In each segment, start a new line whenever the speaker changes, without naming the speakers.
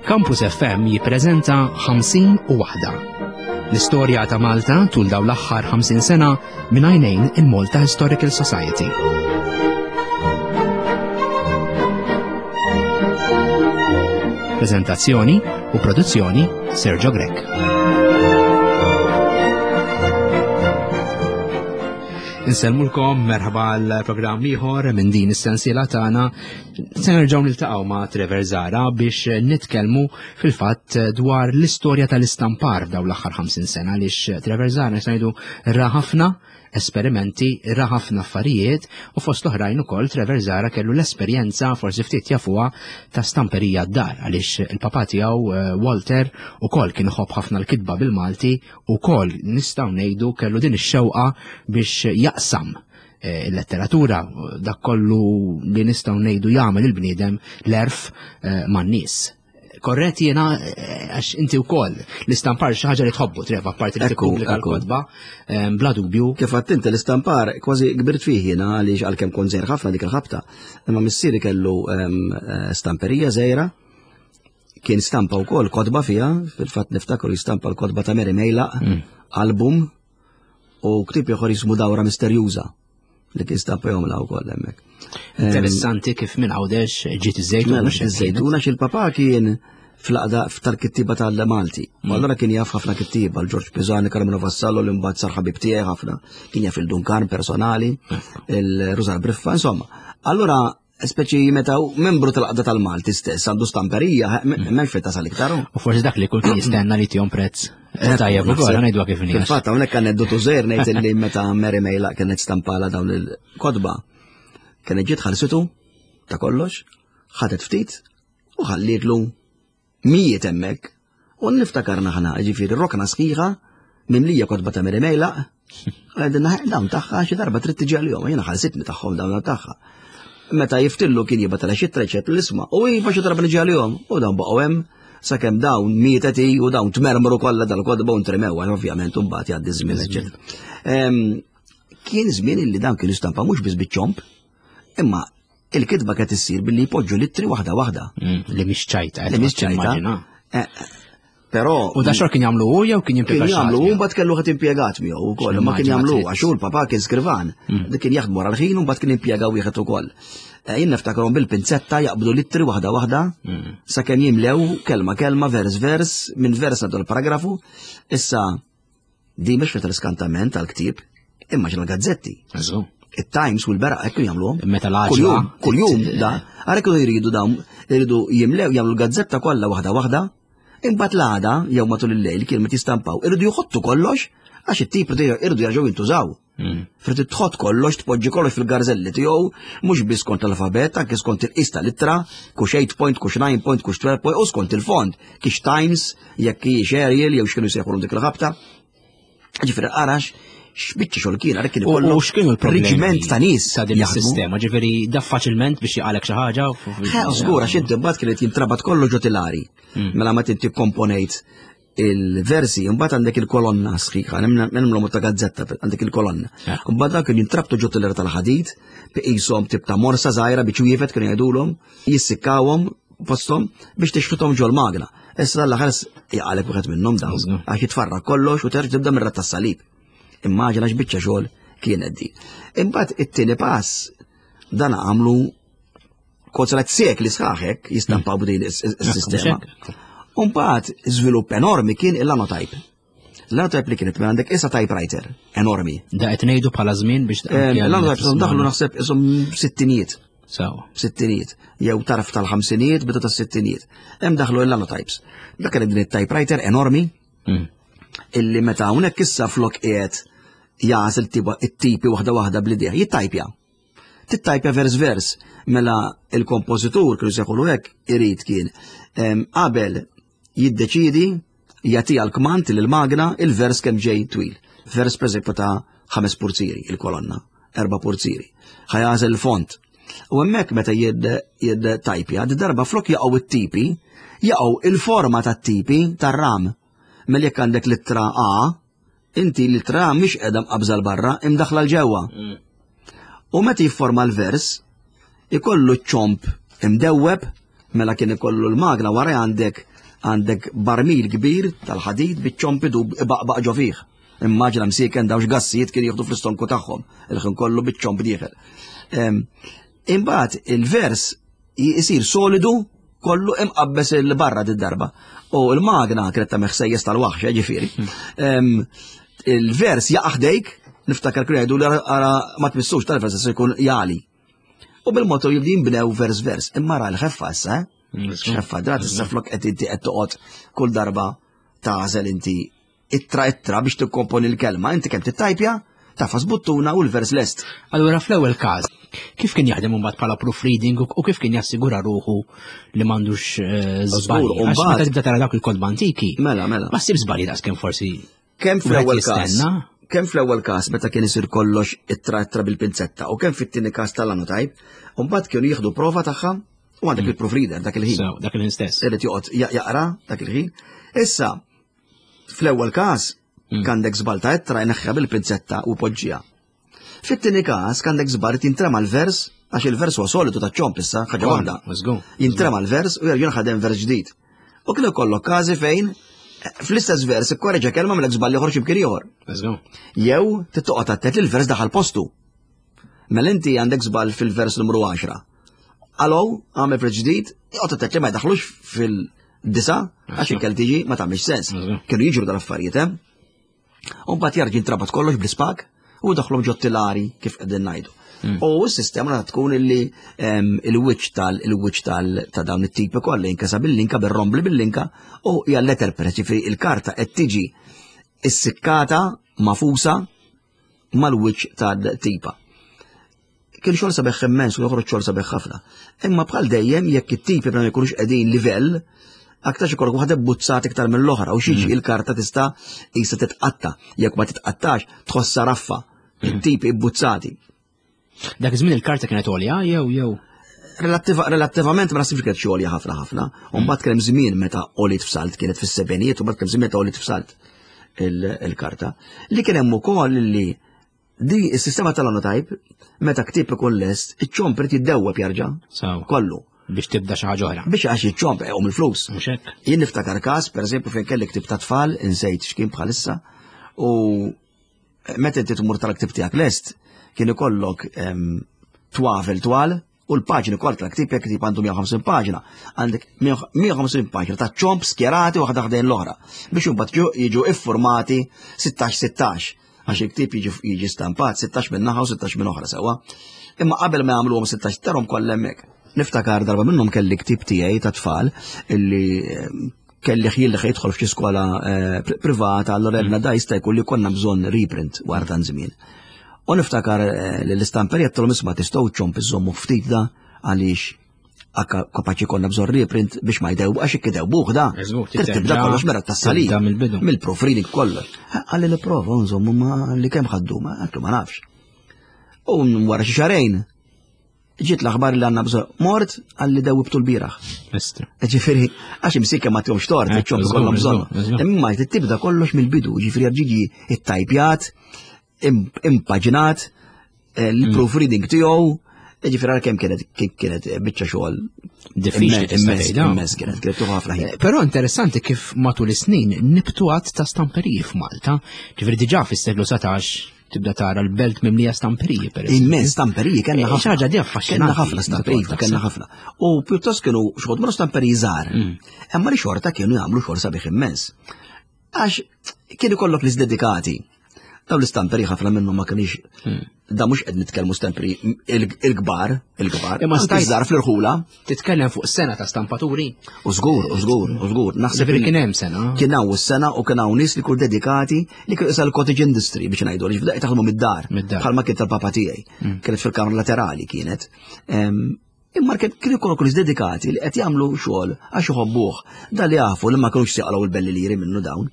Campus FM jippreżenta 50 u waħda. L-istorja ta' Malta tul dawn l-aħħar 50 sena minn għajnejn il-Malta Historical Society. Prezentazzjoni u produzzjoni Sergio Grech. Insellmulkom merħba għal programm ieħor minn din is-sensiela tagħna. Se nerġgħu niltaqgħu ma' Trevor Zara biex nitkellmu fil-fatt dwar l-istorja tal-istampar f'dawn l-aħħar 50 sena għaliex Trevor Zara nistgħu ngħidu ra ħafna esperimenti, ra ħafna affarijiet u fost l-oħrajn ukoll Trevor Zara kellu l-esperjenza forsi ftit jafuha ta' stamperija d-dar għaliex il-papa tiegħu eh, Walter ukoll kien iħobb ħafna l-kitba bil-Malti ukoll nistgħu ngħidu kellu din ix-xewqa biex jaqsam eh, il-letteratura dak kollu li nistgħu ngħidu jagħmel il-bniedem l-erf eh, man-nies. Korrett jiena eh, għax inti wkoll l-istampar xi ħaġa li tħobbu treva parti li tippubblika l-kotba bla dubju.
Kif għadt inti l-istampar kważi kbirt fih jiena għaliex għalkemm kont żgħir ħafna dik il-ħabta, imma missieri kellu stamperija żgħira Kien stampa wkoll kotba fiha, fil-fatt niftakru jistampa l-kotba ta' Mary Mejlaq, mm. album u ktib ieħor jismu Dawra Misterjuża li kien stampa jomla wkoll hemmhekk.
Interessanti kif minn Għawdex ġiet iż-żejtuna.
Mela, iż-żejtuna x'il-papà kien fl-aqda tal-kittiba tal-Malti. Mm. Allora kien jaf ħafna kittiba, l-Ġorġ Pisani, Carmelo Vassallo, li mbagħad sar ħabib tiegħi ħafna, kien jaf il-Dunkan personali, mm. il-Rużar Briffa, insomma. Allora Speċi meta membru tal-qda tal-Malti stess għandu stamperija, m'hemmx fejn tasal iktar.
U forsi dak li kull kien jistenna li tihom prezz. Eh, tajjeb ukoll ngħidu kif
inhi. Fil-fatt hawnhekk aneddotu żgħir ngħid li meta Mary Mejla kienet stampala dawn il-kotba, kienet ġiet ħarsitu ta' kollox, ħadet ftit u ħallietlu mijiet hemmhekk. U niftakarna ħna, ġifieri rokna sħiħa mimlija kotba ta' Mary Mejlaq, għedinna dawn tagħha xi darba trid tiġi għalihom, jiena ħalsitni tagħhom dawn tagħha. Meta jiftillu kien jibgħat għal xi treċet l-isma' u iva xi darba niġi għalihom u dawn baqgħu hemm sakemm dawn mietet hi u dawn tmermru kollha dal-kotba u ntremew għal ovvjament u mbagħad jgħaddi żmien eċċetera. Kien żmien illi dawn kienu stampa mhux biss biċ-ċomp, imma il-kitba kienet issir billi jpoġġu littri waħda waħda.
Mm, li mhix ċajta.
Li mhix ċajta. Eh, eh, però.
U da xor kien jagħmlu hu jew kien
jimpjega? Kien jagħmlu hu mbagħad kellu ħadd impjegat miegħu wkoll, ma kien jagħmlu għax hu l-papà kien skrivan. Mm. Dik kien jaħdmu wara l-ħin u mbagħad kien impjega wieħed ukoll. Eh, jien niftakarhom bil-pinzetta jaqbdu littri waħda waħda mm. sakemm jimlew kelma kelma vers vers minn vers għadu l-paragrafu. Issa Di mhix meta l-iskantament tal-ktieb, imma ġra gazzetti. Il-Times u l-Beraq hekk jagħmluhom.
Meta l
Kuljum, kuljum da, għarek jridu dawn, jridu jimlew jagħmlu l-gazzetta kollha waħda waħda, imbagħad l-għada jew matul il-lejl kien meta jistampaw, irridu jħottu kollox għax it-tip irridu jerġgħu jintużaw. Mm. Frid tħott kollox, tpoġġi kollox fil-garzelli tiegħu, mhux biss skont l-alfabet, anke skont il-qis tal-ittra, kux 8 point, kux 9 point, kux 12 point, u skont il-font, kix Times, jekk hijiex Arial jew x'kienu jsejħulhom dik il-ħabta. Ġifieri arax x'biċċa xogħol kien għalhekk kien
ikollu. U x'kienu l-problemi?
Reġiment ta' nies
ta' din is-sistema, ġifieri da faċilment biex jaqalek xi ħaġa.
Żgur għax inti mbagħad kienet jintrabat kollu ġo tilari. Mm. Mela ma tinti komponejt il-versi, mbagħad għandek il-kolonna sħiħa, nemmlu ta' gazzetta għandek il-kolonna. Mbagħad dak kien jintrabtu ġo tilera tal-ħadid, biqishom tip ta' morsa żgħira biex wieħed kienu jgħidulhom, jissikkawhom posthom biex tixħithom ġol-magna. Issa l-aħħar jaqalek wieħed minnhom dawn, għax jitfarrak kollox u terġa' tibda mir tas-salib. Immaġina x'biċċa xogħol kienet di. Imbagħad it-tieni pass dan għamlu kozret sekli sħaħek jistampaw b'din is-sistema. Umbagħad żvilupp enormi kien il-lanotype. L-lanotype li kienet minn għandek issa typewriter enormi.
Da qed ngħidu bħala żmien biex
eh, L-lanotype daħlu naħseb isom sittinijiet. Sittinijiet. Jew tarf tal-ħamsinijiet, bidu tas-sittinijiet. Hemm daħlu l-lanotypes. Dak kienet din it-typewriter enormi. Mm. Illi meta hawnhekk issa flok qiegħed jagħżel it-tipi waħda waħda bl-idea, jittajpja. Tittajpja vers vers, mela il-kompożitur kienu seħulu hekk irid kien qabel jiddeċidi jagħtiha l-kmand lil magna il-vers kemm ġej twil. Vers pereżempju ta' ħames purzieri il-kolonna, erba' purzieri. Ħajażel il-font. U hemmhekk meta jid tajpja, di darba flok jaqgħu it-tipi, jaqgħu il-forma tat-tipi tar-ram. Mela jekk għandek l-ittra A, Inti l-ittra mhix qiegħda mqabża 'l barra, imdaħħla 'l ġewwa. Mm. U meta jifforma l-vers, ikollu ċomp Imdewweb, mela kien ikollu l-magna wara għandek għandek barmil kbir tal-ħadid biċ-ċomp idub ibaqbaq ġo fih. Immaġina msieken dawx gassijiet kien jieħdu fl-istonku tagħhom, il-ħin kollu biċ-ċomp dieħel. Imbagħad il-vers jisir solidu kollu imqabbes il-barra d-darba. U l-magna kienet ta' meħsejjes tal-waħx, eh, ġifieri. Hmm. Il-vers jaqa' ħdejk, niftakar kienu jgħidu li ara ma tmissux tal-vers se jkun jali. U bil-motu jibdi jinbnew vers vers, imma ra l-ħeffa issa, eh? Hmm. Ħeffa, drat issa flok qed inti qed toqgħod kull darba tażel inti ittra ittra biex tikkomponi l-kelma, inti kemm tittajpja, tafas buttuna u l-vers lest.
Allura fl-ewwel każ, kif kien jaħdem imbagħad bħala proofreading u kif kien jassigura ruħu li m'għandux eh, żbalji? Għax meta tibda tara dawk il-kotba antiki.
Mela, mela.
Ma ssib żbalji daqs kemm forsi.
Kemm fl-ewwel każ? Kemm fl-ewwel każ meta kien isir kollox ittra ittra bil-pinzetta u kemm fit-tieni każ tal-anotype, u mbagħad kienu jieħdu prova tagħha u għandek mm. il-proofreader dak il-ħin.
Dak il-ħin stess.
Irid joqgħod jaqra dak il-ħin. Issa, Fl-ewwel każ, hmm. għandek żball ta' ittra jneħħa bil-pinzetta u poġġija. Fit-tieni każ għandek żball jintrema l-vers għax il-vers huwa solidu ta' ċomp issa, ħaġa waħda. Jintrema l-vers u jerġa' ħadem vers ġdid. U kien ikollok każi fejn eh, fl-istess vers ikkoreġa kelma mill żball ieħor x'imkien ieħor. Jew tittoqgħod attent li l-vers daħal postu. Mela inti għandek żball fil-vers numru 10. Alo, għamel vers ġdid, joqgħod attent li ma jdaħlux fil- Disa, għax ikel tiġi ma tagħmilx sens. Kienu jiġru dal-affarijiet, eh? U mbagħad jarġi jintrabat kollox bl-ispak u daħlhom ġottilari kif qegħdin ngħidu. Hmm. U s-sistema ta' tkun illi il-wiċċ tal il-wiċċ tal ta' dawn it-tipi kollha jinkesa bil-linka bir-rombli bil-linka u hija letter press, ġifieri il-karta qed tiġi issikkata mafusa mal-wiċċ tal-tipa. Kien xogħol sabiħ immens u joħroġ xogħol sabiħ ħafna. Imma bħal dejjem jekk it-tipi ma jkunux qegħdin livell, aktar ikollok waħda buzzat iktar mill-oħra u xiġi mm. il-karta tista' qisha titqatta. Jekk ma titqattax tħossha raffa. Mm. It-tipi buzzati.
Dak iż-żmien il-karta kienet għolja jew jew
Relattivament ma nasibx kienet xi għolja ħafna ħafna. U mbagħad kien hemm żmien meta għoliet f'salt kienet fis-sebenijiet u mbagħad kien żmien meta għoliet f'salt il-karta. Li kien hemm ukoll li di s-sistema tal-anotype meta ktieb ikun lest, iċ-ċomp irid jiddewweb jarġa' kollu.
Biex tibda xi ħaġa oħra.
Biex għax iċ-ċomp eqgħu mill-flus. Jien niftakar każ, pereżempju, fejn kelli ktieb ta' tfal, insejt x'kien bħalissa, u meta inti tmur tal-ktib tiegħek lest, kien ikollok twafel twal u l-paġni kollha tal-ktib jekk ktib għandu 150 paġna, għandek 150 paġna ta' ċomp skjerati waħda ħdejn l-oħra biex imbagħad jiġu iffurmati 16-16 għax il-ktib jiġi stampat 16 minn naħa u 16 minn oħra sewwa. Imma qabel ma jagħmluhom 16 tarhom kollha hemmhekk. Niftakar darba minnhom kelli ktib tiegħi ta' tfal illi kelli ħjil li jidħol f'xi skola eh, privata, allora jedna mm. da jista' jkun li konna bżonn reprint wara tan żmien. U niftakar eh, li l-istamperija tolhom isma' tistgħu ċomp iżommu ftit da għaliex kapaċi konna bżonn reprint biex ma jdew għax ikkidew buħ da. Tibda kollox mera tas-salib. Mill-proofreading kollox. Għalli nipprova nżommu ma li kemm ħaddu ma ma nafx. U wara xi xarejn Ġiet l-aħbar li għandna bżonn. Mort għalli dewwibtu l-bieraħ. Ġifieri, għax imsik ma tihomx tort, eh, ċom kollhom bżonn. Imma tibda kollox mill-bidu, ġifieri ġiġi it-tajpjat, impaġinat, eh, l-proofreading tiegħu, ġifieri għal kemm kienet kienet biċċa xogħol
diffiċli
immens kienet kienet tuħu ħafna ħin.
Eh, però interessanti kif matul is-snin nibtu għadd ta' stamperiji f'Malta, ġifieri diġà fis-seklu 19 tibda tara l-belt mimlija stamperiji
per eżempju. Immens stamperiji kellna
eh, ħafna. Ħaġa di
affaxxinanti. Kellna ħafna stamperiji, kellna ħafna. U pjuttost kienu xogħol mhux stamperiji żgħar. Mm. Imma li xorta kienu jagħmlu xogħol sabiħ immens. Għax kienu kollok li dedikati. Daw l-istamperi ħafna minnhom ma kienx hmm. da mhux qed nitkellmu stamperi il-kbar, il-kbar. Imma stajt żgħar fl-irħula.
Titkellem fuq sena ta' stampaturi?
U żgur, u żgur, u żgur.
Naħseb li kien hemm sena.
Kien hawn is-sena u kien hawn nies li kull dedikati li kienu isal cottage industry biex ngħidu li bdaqt taħdmu mid-dar. Bħalma kien tal-papa tiegħi. Mm. Kienet fil-kamra laterali kienet. Imma kien kienu nies dedikati li qed jagħmlu xogħol għax iħobbuh. Da li jafu li ma kinux jaqalgħu l-belli liri minnu dawn.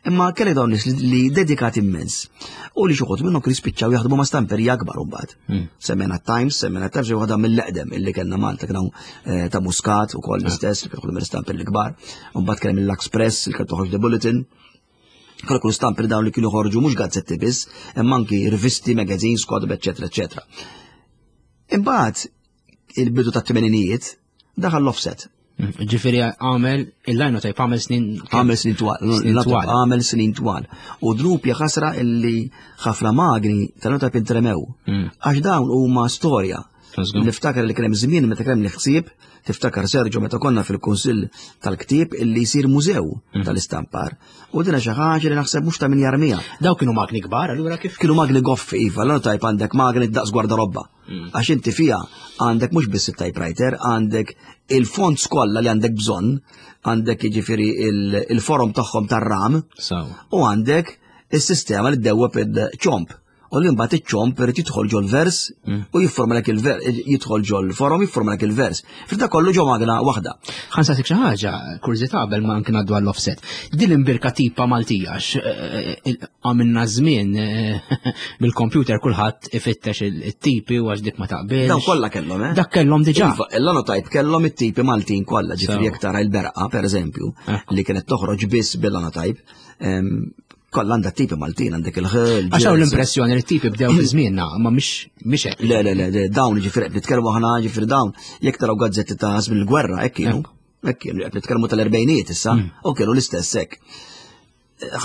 Imma kelli dawn nies li dedikati immens. U li xi minnhom kienu jispiċċaw jaħdmu ma' stamperija akbar imbagħad. Hmm. Semmejna Times, semmejna Times waħda mill-eqdem illi kellna Malta kien eh, ta' Muscat ukoll ah. l-istess li kienu mill-istamper l-kbar. Mbagħad kien mill-Lux Press li kien toħroġ The Bulletin. Kellu kull stamper dawn li kienu ħorġu mhux gazzetti biss, imma anki rivisti, magazines, kotb, eċetera, eċetera. Imbagħad il-bidu tat-tmeninijiet. Daħal l-offset.
Ġifieri għamel il-linotype għamel snin.
Għamel snin twal. Għamel snin twal. U dnub ħasra illi ħafna magni tal-linotype intremew. Għax dawn huma storja. Niftakar li kien hemm żmien meta kien hemm ħsieb, tiftakar Sergio meta konna fil-Kunsill tal-Ktieb illi jsir mużew tal-istampar. U dina xi ħaġa li naħseb mhux ta' min jarmiha.
Daw kienu magni kbar, allura kif?
Kienu magni goffi, iva, l-linotype għandek magni daqs gwardarobba. Għax inti fija għandek mhux biss il-typewriter, għandek il-fonts kollha li għandek bżonn, għandek jiġifieri il-forom tagħhom tar-ram, u għandek is-sistema li ddewweb il-ċomp. U li mbagħad iċ-ċomp irid jidħol ġol-vers u jifformalek il-vers, jidħol ġol-forom jifformalek il-vers. Fil kollu ġo magna waħda.
Ħa nsaqsik xi ħaġa, kurżità qabel ma anke ngħaddu għall-offset. Din l-imbirka tipa Maltija, għamilna żmien bil-computer kulħadd ifittex it-tipi u għax dik ma taqbilx.
Dawn kollha kellhom, eh?
Dak kellhom diġà.
Iva, il-linotype kellhom it-tipi Maltin kollha, ġifieri jekk tara il-berqa, pereżempju, li kienet toħroġ biss bil-linotype, kollha għandha tipi Maltin, għandek il-ħel.
Għax hawn l-impressjoni li t-tipi bdew fi żmienna, ma mhix hekk.
Le, le, le, dawn ġifieri qed nitkellmu aħna ġifieri dawn, jekk taraw gazzetti ta' żmien il-gwerra, hekk kienu. Hekk kienu, qed nitkellmu tal-erbejniet issa, u kienu l-istess hekk.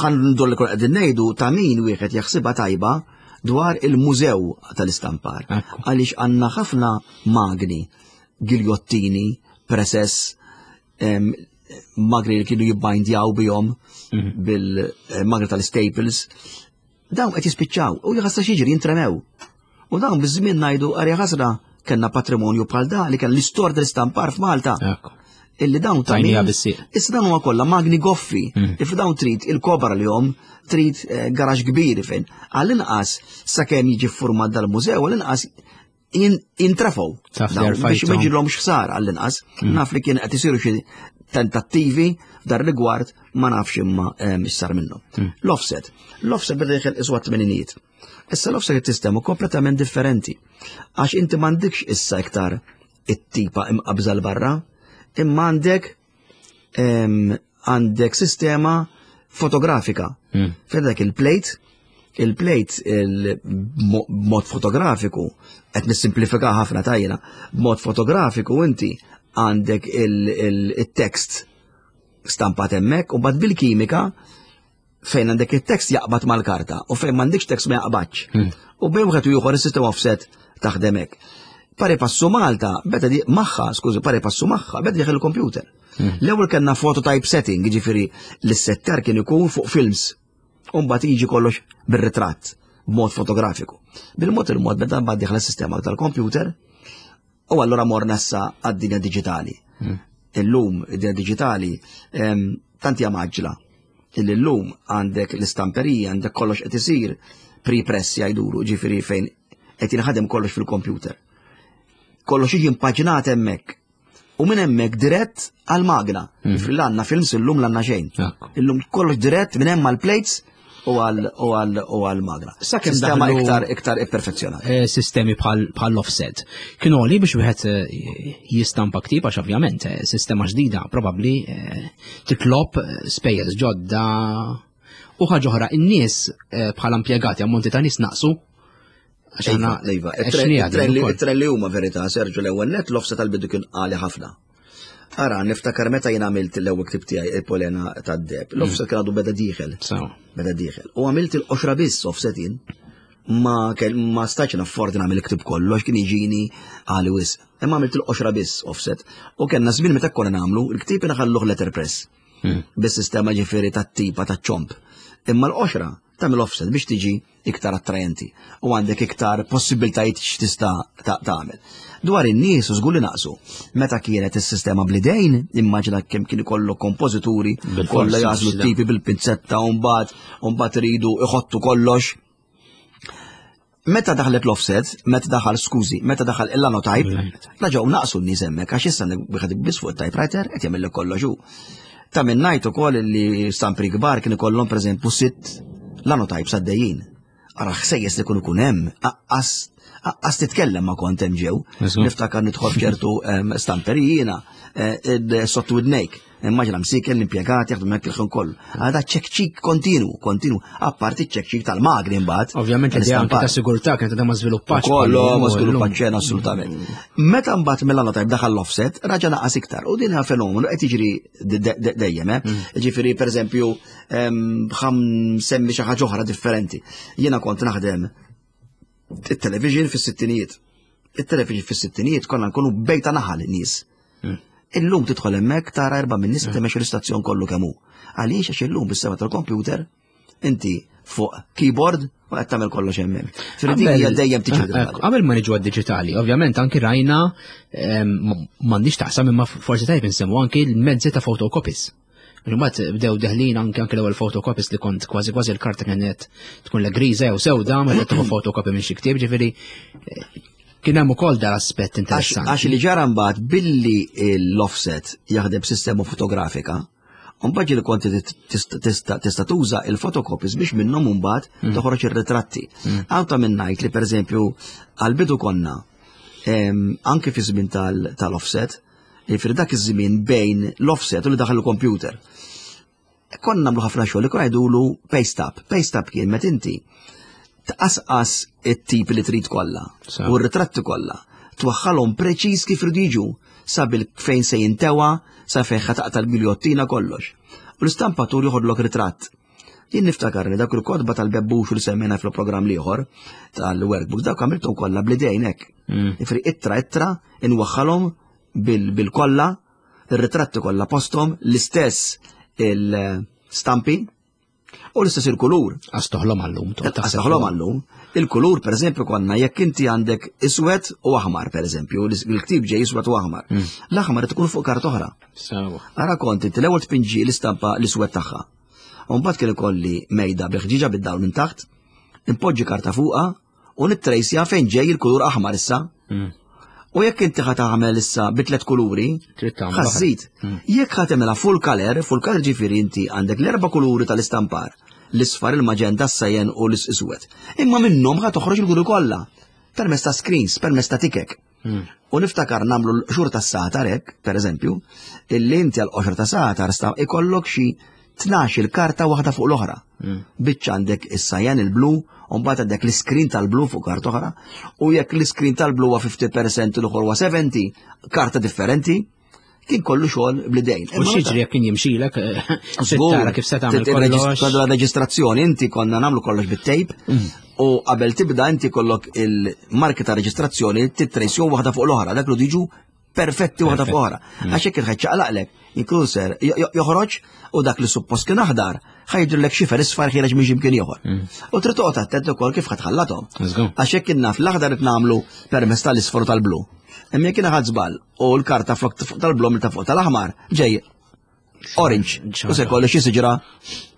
Ħa ndur li kol qegħdin ngħidu ta' min wieħed jaħsibha tajba dwar il-mużew tal-istampar. Għaliex għandna ħafna magni, giljottini, presess, magni li kienu jibbindjaw bihom bil-magni tal-staples, dawn qed jispiċċaw u jħassa xiġri jintremew. U dawn biż-żmien ngħidu arja ħasra kellna patrimonju bħal da li kien l-istorja tal-istampar f'Malta. Illi dawn ta' Issa dawn huma kollha magni goffi. If dawn trid il-kobra li hom trid garax kbir fejn. Għall-inqas sakemm jiġi ffurmat dal-mużew, għall-inqas jintrefgħu. Biex ma jġilhomx ħsara għall-inqas. Naf li kien qed isiru xi tentattivi f'dar rigward ma nafx imma x'sar minnhom. L-offset. L-offset beda jħel iswa t-tmeninijiet. Issa l-offset sistema kompletament differenti. Għax inti m'għandekx issa iktar it-tipa imqabża l-barra, imma għandek għandek sistema fotografika. Fejn dak il-plate, il-plate b'mod fotografiku, qed nissimplifika ħafna tajjena, b'mod fotografiku inti għandek il-tekst stampat hemmhekk u bad bil-kimika fejn għandek il-tekst jaqbad mal-karta u fejn m'għandekx tekst ma jaqbadx. U bejn wieħed u ieħor is-sistema offset taħdem hekk. Pari passu Malta, beda di magħha, skużi, pari passu magħha, beda dieħel il-computer. L-ewwel kellna phototype setting, jiġifieri l-settar kien ikun fuq films. U mbagħad jiġi kollox bir-ritratt b'mod fotografiku. Bil-mod il-mod beda mbagħad dieħel is-sistema tal-computer u allura morna issa għad-dinja diġitali. Illum id-dinja diġitali tant hija maġla illi llum għandek l-istamperija, għandek kollox qed isir pre-press jgħidulu, ġifieri fejn qed jinħadem kollox fil-computer. Kollox jiġi impaġnat hemmhekk. U minn hemmhekk dirett għal-magna. Ġifieri l-għandna films illum l-għandna xejn. Illum kollox dirett minn hemm għall-plates u għal-magna.
Sakemm
Sistema
daħlu
iktar imperfezzjonata.
Sistemi bħal offset. Kienu għoli biex wieħed jistampa ktib, għax ovvjament sistema ġdida probabbli titlob spejjeż ġodda u ħaġa oħra, in-nies bħala impjegati, ammonti ta' nies naqsu. Għax
Iva,
aħna
iva,
għexni għadin ukoll.
it-tren li huma verità, Sergio, l-ewwel net l-offset tal-bidu kien għali ħafna. Ara, niftakar meta jien għamilt l-ewwel ktib tiegħi il-Polena tad-deb. L-offset kien għadu beda dieħel. Beda dieħel. U għamilt il-qoxra biss offset jien. Ma stajtx naffordi nagħmel il-ktib kollu għax kien jiġini għali wisq. Imma għamilt il-qoxra biss offset. U kellna żmien meta konna nagħmlu il-ktib inħalluh letterpress. Bis-sistema ġifieri tat-tipa taċ-ċomp. Imma l-qoxra tagħmel offset biex tiġi iktar attrajenti u għandek iktar possibiltajiet x'tista' tagħmel. Dwar in-nies u żgur li naqsu. Meta kienet is-sistema bl-idejn, immaġina kemm kien ikollu kompożituri
Bil-forsi,
kollha jażlu
biex
t-tipi bil-pinzetta u mbagħad u mbagħad iridu iħottu kollox. Meta daħlet l-offset, meta daħal, skużi, meta daħal il-linotype, raġgħu naqsu n-nies hemmhekk għax issa wieħed biss fuq it-typewriter qed jagħmel kollox hu. Ta' minn ngħid ukoll li stampri kbar kien ikollhom pereżempju 6 linotypes għaddejjin. Ara ħsejjes li kun ikun hemm, Għas titkellem ma kont hemm ġew. Niftakar nidħol f'ċertu stamperijina, eh, sottu widnejk. Immaġina msiken l-impjegati jaħdmu hekk il-ħin kollu. Għada ċekċik kontinu, kontinu, apparti ċekċik tal-magni mbagħad.
Ovvjament li anke ta' sigurtà kienet għadha ma żviluppax.
Kollu ma żviluppax xejn assolutament. Meta mbagħad mill tajb daħal l-offset, raġa naqas iktar. U din fenomenu qed jiġri dejjem, eh? Mm. Ġifieri pereżempju ħam semmi xi ħaġa oħra differenti. Jiena kont naħdem it-television fis-sittinijiet. It-television fis-sittinijiet konna nkunu bejta naħal nies. Hmm. Illum tidħol hemmhekk tara erba' minn nies hmm. temexxu l-istazzjon kollu kemm hu. Għaliex għax illum bis-sema tal-computer inti fuq keyboard u qed tagħmel kollox hemmhekk. Fil-din hija dejjem tiġi. Eh,
eh, qabel ma niġu għad-diġitali, ovvjament anki rajna m'għandix taqsam imma forsi tajb insemmu anki l-mezzi ta' photocopies. Imbagħad bdew deħlin anke anke l-ewwel photocopies li kont kważi kważi l-karta kienet tkun la griża jew sewda meta tieħu photocopy minn xi ktieb, ġifieri eh, kien hemm ukoll dal aspett interessanti.
Għax li ġara mbagħad billi l-offset jaħdem sistema fotografika, Mbagħad li kont tista' tuża il-photocopies biex minnhom mbagħad mm. toħroġ ir-ritratti. Mm. Hawn ta' minn ngħid li pereżempju għall-bidu konna anke fi żmien tal-offset, Jiġifieri dak iż-żmien bejn l-offset u li daħal il-computer. Konna nagħmlu ħafna xogħol li konna jgħidulu paste up. Paste up kien meta inti tqasqas it-tip li trid kollha u r-ritratti kollha twaħħalhom preċiż kif ridu jiġu sabil fejn se jintewa, sa fejn ħataqta l-giljottina kollox. U l-istampatur joħodlok ritratt. Jien niftakar li dak il-kotba tal-bebbux li semmejna fil-programm liħor tal-workbook dak għamilthom kollha bl-idejn hekk. Mm. Ifri ittra ittra inwaħħalhom bil-kolla, ir-ritratti kollha posthom, l-istess il-stampi u l-istess il-kulur.
Għax toħlom għallum.
Għax toħlom għallum. Il-kulur, per eżempju, konna jekk inti għandek iswed u aħmar, per eżempju, il-ktib ġej iswed u aħmar. Mm. L-aħmar tkun fuq kart oħra. Ara kont inti l-ewwel tpinġi l-istampa l-iswed tagħha. U mbagħad kien ikolli mejda bi ħġiġa bid-dawl minn taħt, impoġġi karta fuqha u nittrejsja fejn ġej il-kulur aħmar issa. Mm. U jekk inti ħa tagħmel issa bi tliet kuluri, ħażid. Mm. Jekk ħa tagħmilha full color, full color ġifieri inti għandek l-erba' kuluri tal-istampar, l-isfar, il-maġenta, s-sajen u l-iswed. Imma minnhom ħa toħroġ il-kuluri kollha permezz ta' screens, permezz ta' tikek. Mm. U niftakar namlu l-xur ta' satar hekk, per eżempju, illi inti għal qoxra ta' satar sta ikollok xi 12 il-karta waħda fuq l-oħra. Mm. Biċċa għandek is-sajan il-blu, u mbagħad għandek l-iskrin tal-blu fuq karta oħra, u jekk l-iskrin tal-blu huwa 50% l-oħra huwa 70, karta differenti, kien kollu xogħol bl-idejn.
U x'jiġri jekk kien jimxilek, eh, tara kif se tagħmel kollox.
La reġistrazzjoni inti konna nagħmlu kollox bit-tejp mm. u qabel tibda inti kollok il-marki ta' reġistrazzjoni titrejsjon waħda fuq l-oħra, dak li diġu perfetti waħda fuq oħra. Mm. Għax hekk il-ħeċ ċaqlaqlek, inkun ser joħroġ u dak li suppost kien aħdar ħajdrlek xifer isfar ħireġ minn x'imkien ieħor. Mm. U trid toqgħod attent ukoll kif ħadħallathom. Għax hekk naf l-aħdar qed nagħmlu permezz tal-isfar u tal-blu. Imma jekk ħadd żball u l-karta flok tal-blu ta' fuq tal-aħmar ġej orange. U se kollu xi siġra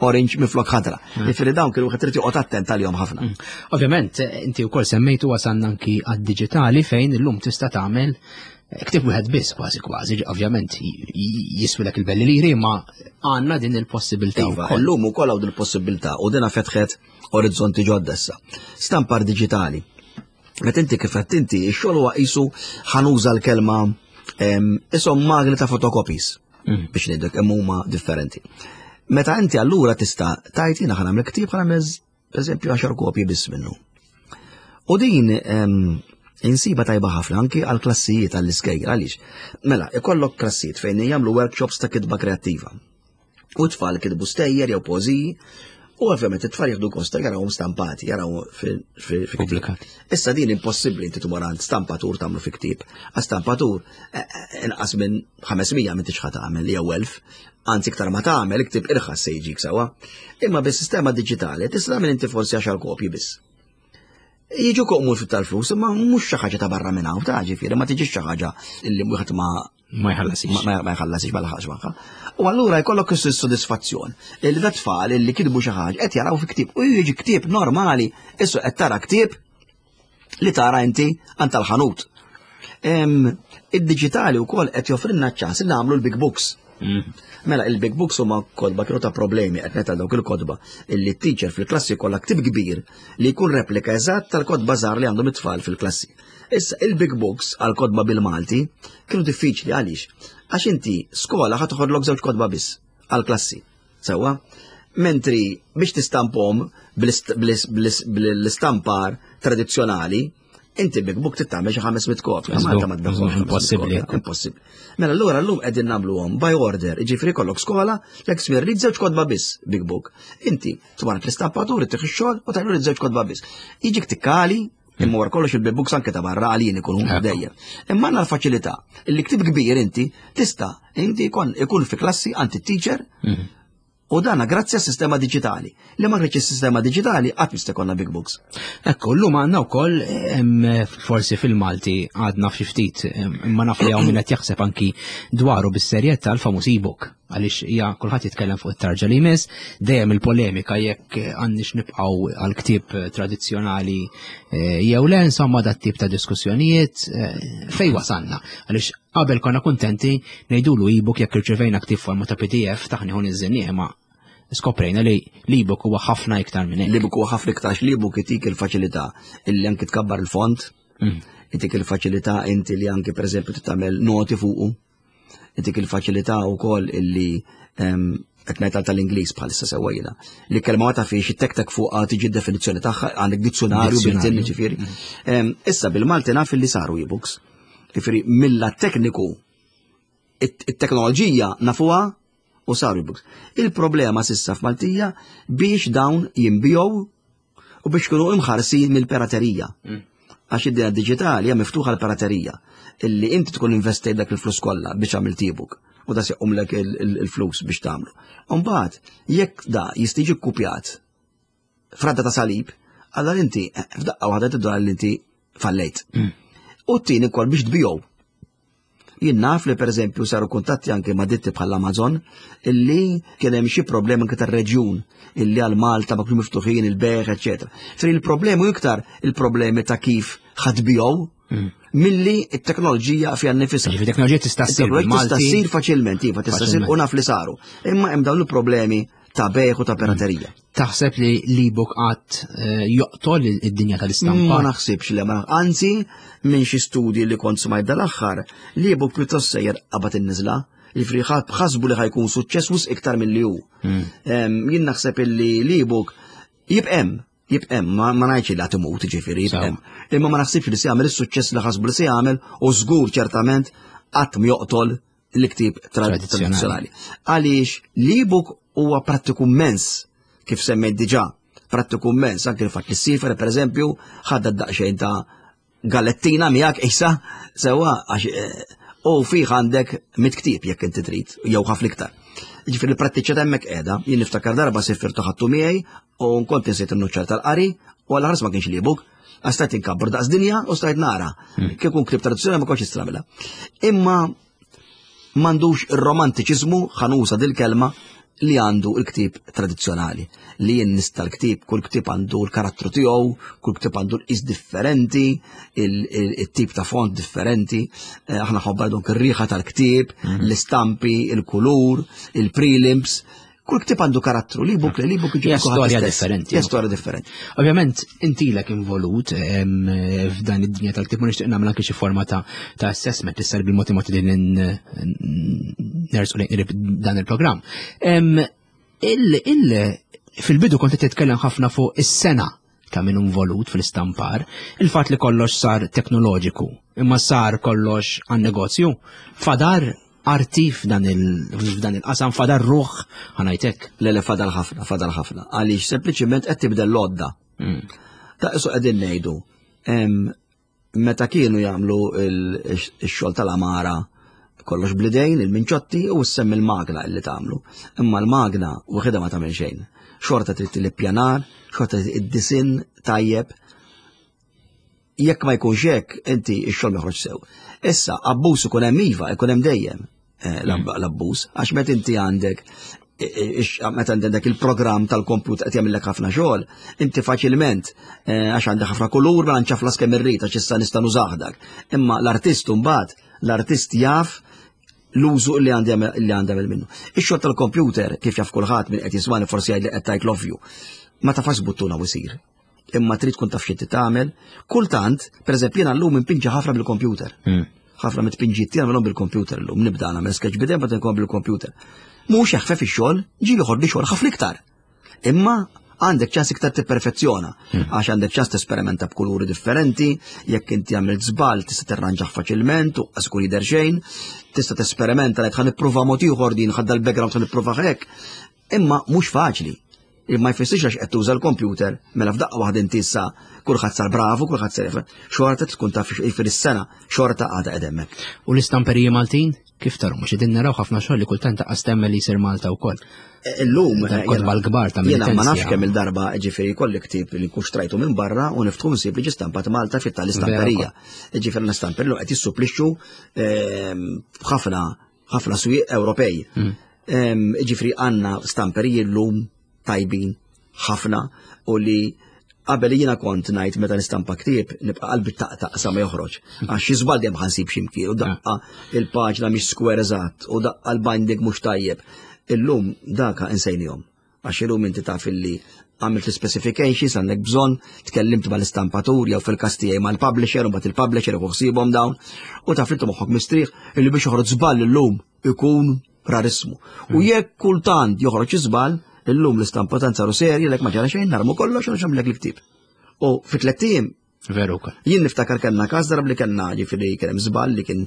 orange miflok ħadra. Mm. Jiġifieri dawn kienu wieħed irid joqgħod attent għalihom ħafna. Mm.
Ovvjament, inti wkoll semmejtu wasalna anki għad-diġitali fejn illum tista' tagħmel eh, ktib wieħed biss kważi kważi, ovvjament jiswilek il-belli liri, ma għandna din il-possibilità.
Iva, illum ukoll hawn din il-possibilità u dina fetħet orizzonti ġodda issa. Stampar diġitali. Meta inti kif qed inti, ix-xogħol huwa qisu ħanuża l-kelma isom magni ta' fotokopies mm. biex ngħidlek hemm huma differenti. Meta inti allura tista' tajt jiena ħa nagħmel ktieb ħa nagħmel eżempju 10 kopji biss minnu. U din insiba tajba ħafna anki għal klassijiet għall-iskejjel għaliex. Mela, ikollok klassijiet fejn jagħmlu workshops ta' kitba kreattiva. U tfal kitbu stejjer jew pożiji, u ovvjament it-tfal jieħdu gost jarawhom stampati, jaraw
fil-pubblikati.
Issa din impossibbli inti tmur għand stampatur tagħmlu fi ktieb. Għas stampatur eh, eh, inqas minn 500 minn tixħa tagħmel jew 1000, anzi iktar ma tagħmel iktib irħas se jiġik sewwa. Imma bis-sistema diġitali tista' tagħmel inti forsi 10 kopji biss. Jiġu koqmur fit tal-flus, imma mhux xi ħaġa ta' barra minn hawn ta' ġifieri ma tiġix xi ħaġa li wieħed ma
ma jħallasix.
Ma jħallasix ma laħaqx magħha. U allura jkollok is-sodisfazzjon li da tfal li kitbu xi ħaġa qed jaraw fi ktieb u jiġi ktieb normali, issu qed tara ktieb li tara inti għand tal-ħanut. Id-diġitali wkoll qed joffrilna ċ-ċans li nagħmlu l-big books. Mela il-big books huma kotba kienu ta' problemi qed ngħid dawk il-kotba illi t-teacher fil-klassi kollha ktib kbir li jkun replika eżatt tal-kotba żgħar li għandhom it-tfal fil-klassi. Issa il-big books għal kotba bil-Malti kienu diffiċli għaliex? Għax inti skola ħa toħodlok żewġ kotba biss għal-klassi. Sewwa? Mentri biex tistampom bl-istampar tradizzjonali, inti big book tittamel xi 500 kopja. Malta ma tbeħħux.
Impossibbli.
Impossibbli. Mela allura llum qegħdin nagħmluhom by order, jiġifieri kollok skola, jekk smir rid żewġ kotba biss big book. Inti tmar l-istampatur, tieħu x-xogħol u tgħidlu rid żewġ kotba biss. Jiġik tikkali, imma wara kollox il-big books anke ta' barra għalin ikunu dejjem. Imma għandna l-faċilità li ktib kbir inti tista' inti ikun fi klassi għand it-teacher U dana grazzi għas sistema digitali. Li ma kienx is-sistema digitali qatt mista jkollna big books.
Ekku, llum għandna wkoll forsi fil-Malti għadna fxi ftit imma naf li hawn min qed jaħseb anki dwaru bis-serjetà l-famuż e-book għaliex hija kulħadd jitkellem fuq it-tarġa li jmiss, dejjem il-polemika jekk għandniex nibqgħu għal ktieb tradizzjonali eh, jew le, insomma dat tip ta' diskussjonijiet eh, fej wasalna. Għaliex Qabel konna kuntenti ngħidulu e-book jekk irċevejna ktieb forma ta' PDF taħni hu niżżilnieh imma skoprejna li l-ebook huwa ħafna iktar minn hekk.
L-ebook huwa ħafna iktar l-ebook itik il-faċilità illi anki tkabbar il-font, mm. itik il-faċilità inti li anki pereżempju tagħmel noti fuqu, itik il-faċilità wkoll illi ehm, qed ngħid tal-Ingliż bħalissa sewwa jiena. Li kelma ma tafix it-tek fuqha tiġi d-definizzjoni tagħha għandek dizzjonarju bil-tin ġifieri. Mm. Ehm, issa bil-Malti naf illi saru e-books. Ġifieri mill-lat tekniku it-teknoloġija nafuha u saru e-books. Il-problema sissa f'Maltija biex dawn jinbijow u biex kunu imħarsin mill-piraterija. Mm. Għax id-dinja digitali hija miftuħa l-piraterija illi inti tkun investejt dak il-flus kollha biex għamilt e-book u da sequmlek il-flus biex tagħmlu. Umbagħad jekk da jistiġi kkupjat fradda ta' salib, allora inti eh, f'daqqa waħda tiddur li inti fallejt. Mm. U t-tieni kol biex tbijow. Jien naf li pereżempju saru kuntatti anke ma' ditti bħal Amazon illi kien hemm xi problemi anke tar-reġjun illi għal Malta ma kienu miftuħin il-beħ, eċetera. Fri il-problemi iktar il-problemi ta' kif ħadbijow mm. milli t-teknoloġija fiha nnifisha.
Il-teknoloġija tista' ssir.
Tista' ssir faċilment, iva tista' ssir u naf li saru. Imma hemm dawn il-problemi ta' bejħ u ta' piraterija.
Taħseb li l-ebook qatt eh, joqtol id-dinja tal-istampa?
Ma naħsibx li ma anzi minn xi studji li kont smajt dal-aħħar, l-ebook pjuttost sejjer qabad in-niżla li ħasbu li ħajkun suċċess wisq iktar milli hu. Hmm. Jien naħseb illi l-ebook jibqem, jibqem, ma ngħidx li imut ġifieri jibqem. Imma ma naħsibx li se jagħmel is-suċċess li ħasbu li se jagħmel u żgur ċertament qatt joqtol l-ktib tradizzjonali. Għaliex l-ebook huwa prattiku immens kif semmejt diġà, prattiku immens, anke l-fatt li s-sifer, per eżempju, ħadda daqsxejn ta' gallettina miegħek issa sewwa għax eh, u fih għandek mit ktib jekk inti trid, jew ħafna iktar. Ġifieri l-prattiċa hemmhekk qiegħda, jien niftakar darba sifirtu ħadtu miegħi u nkont insejt in-nuċċar tal-qari u għal ħares ma kienx l-ebook, għax stajt inkabbar daqs dinja u stajt nara. Hmm. Kieku ktib tradizzjonali ma kontx istramilha. Imma m'għandux ir-romantiċiżmu ħanusa dil-kelma li għandu l-ktib tradizzjonali. Li jien nista l-ktib, kull ktib għandu l-karattru tiegħu, kull ktib għandu l-qis differenti, il-tip ta' font differenti, eh, aħna ħobba donk ir-riħa tal-ktib, mhm. l-istampi, il-kulur, il-prelims, Kull ktib għandu karattru, li buk li buk
ġi storja differenti.
Hija storja differenti.
Ovvjament, inti lek involut f'dan id-dinja tal-ktib ma nixtieq nagħmel anke xi forma ta' assessment issa bil-mod mod li nersqu lejn dan il-programm. Fil-bidu kont qed titkellem ħafna fuq is-sena ta' min involut fl-istampar, il-fatt li kollox sar teknoloġiku, imma sar kollox għan-negozju, fadar arti f'dan il-qasam fadar ruħ ħanajtek.
Le le fadal ħafna, fadal ħafna. Għaliex sempliċiment qed tibdel l-għodda. Mm. Ta' isu qegħdin ngħidu meta kienu jagħmlu x-xogħol tal-amara kollox blidejn, il-minċotti u s-semm il-magna illi tagħmlu. Imma l-magna waħedha ma tagħmel xejn. Xorta trid l-ippjanar, xorta trid id-disin tajjeb. Jekk ma jkunx hekk, inti x-xogħol ma joħroġ sew. Issa, abbuż ikun hemm iva, ikun hemm dejjem. Eh, l-abbuż, għax meta inti għandek meta għandek il-programm tal-kompjuter qed jagħmellek ħafna xogħol, inti faċilment eh, għax għandek ħafna kulur ma nċaflas kemm irrid għax issa nista' nużah dak. Imma l-artist mbagħad, l-artist jaf l-użu li għandi li għandi minnu. Ix-xogħol tal-computer kif jaf kulħadd minn qed jismani forsi jgħid li qed tajt l-ovvju. Ma tafax buttuna u jsir. Imma trid tkun taf xi tagħmel. Kultant, pereżempju jiena llum impinġi ħafna bil-computer. Ħafna mit-tpinġiet tiegħi nagħmilhom bil-computer llum, nibda nagħmel sketch bidejn bagħad inkun bil-computer. Mhux jaħfef ix-xogħol, ġieli joħodli xogħol ħafna iktar. Imma għandek ċans iktar tipperfezzjona, għax għandek ċans tesperimenta b'kuluri differenti, jekk inti għamilt żball tista' tirranġah faċilment u qas ikun jidher xejn, tista' tesperimenta li ħa nipprova mod ieħor din ħadda l-background ħa nipprova hekk. Imma mhux faċli. Imma jfissirx għax qed tuża l-computer, mela f'daqqa waħda inti issa kulħadd sar bravu, kulħadd sar xorta tkun taf fil-sena, xorta għadha qed hemmhekk.
U l-istamperiji Maltin? Kif taru, mhux qegħdin naraw ħafna xogħol li kultant taqqas temmen li jsir Malta wkoll.
E, illum
eh, kotba l-kbar ta'
Jiena ma nafx kemm il-darba ġifieri kolli ktieb li nkun xtrajtu minn barra u niftħu nsib li ġi stampat Malta fit tal-istamperija. Ġifieri l-istamperija qed jissupplixxu ehm, ħafna ħafna swieq Ewropej. Ehm, ġifieri għandna stamperiji llum tajbin ħafna u li qabel jiena kont ngħid meta nistampa ktieb nibqa' qalbi taqtaq sa ma joħroġ. Għax xi żball dejjem ħansib x'imkien u daqqa il-paġna mhix square eżatt u daqqa l-binding mhux tajjeb. Illum daka insejnihom. Għax illum inti taf illi għamilt l-specifications għandek bżonn, tkellimt mal-istampatur jew fil-każ tiegħi mal-publisher u mbagħad il-publisher u ħsiebhom dawn u taf li moħħok mistrieħ illi biex joħroġ żball illum ikun rarissmu. U mm. jekk kultant joħroġ iżbal, illum l-istampa tant saru serji lek ma ġara xejn narmu kollox u nxamlek l-ktib. U fi tliet ijiem
Veru kol.
Jien niftakar kellna każ darba li kellna ġifieri kien hemm żball li kien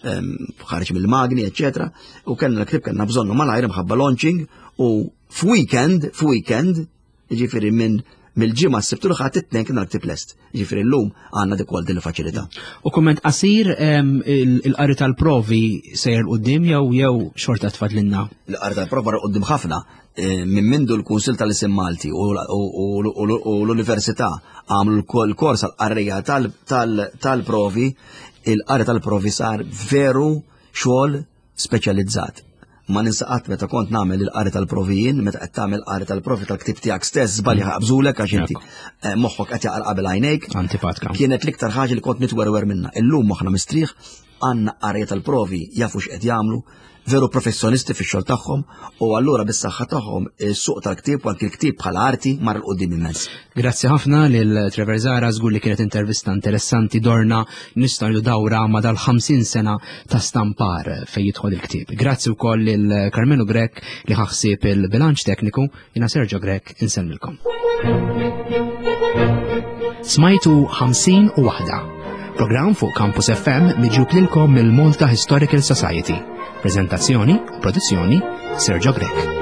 ehm, ħareġ mill-magni, eċetera, u kellna l-ktib kellna bżonnu malajr imħabba launching u f'weekend, f'weekend, Jiġifieri minn mill-ġimgħa s-sibt u l-ħadd it-tnejn kien l-ktib lest. Jiġifieri llum għandna dik din il-faċilità.
U kumment qasir il-qari tal-provi sejjer qudiem jew jew xorta tfadlinna?
Il-qari tal-provi mar qudiem ħafna minn mindu l-Kunsill tal-Isim Malti u l-Università għamlu l-kors għall-qarrija tal-provi, il-qari tal-provi sar veru xogħol speċjalizzat. Ma ninsa qatt meta kont nagħmel il-qari tal-provi jien, meta qed tagħmel qari tal-provi tal-ktieb tiegħek stess, żbalji ħaqbżulek għax inti eh, moħħok qed jaqra qabel għajnejk.
Antipatka.
Kienet l-iktar ħaġa li kont nitwerwer minnha. Illum moħħna mistrieħ għandna qarja tal-provi jafu x'qed jagħmlu, veru professjonisti fix-xogħol tagħhom u allura bis-saħħa tagħhom is-suq tal-ktieb u anki l-ktieb bħala arti mar 'l quddiem immens.
Grazzi ħafna lil Trevor Zahra, żgur li kienet intervista interessanti dorna nistgħu ngħidu dawra ma' dal-50 sena ta' stampar fejn jidħol il-ktieb. Grazzi wkoll lil Karmenu Grech li ħa ħsieb il-bilanċ tekniku, jiena Sergio Grech insellmilkom. Smajtu 50 u waħda. Programm fuq Campus FM miġjub lilkom mill-Malta Historical Society. Prezentazzjoni u produzzjoni Sergio Grech.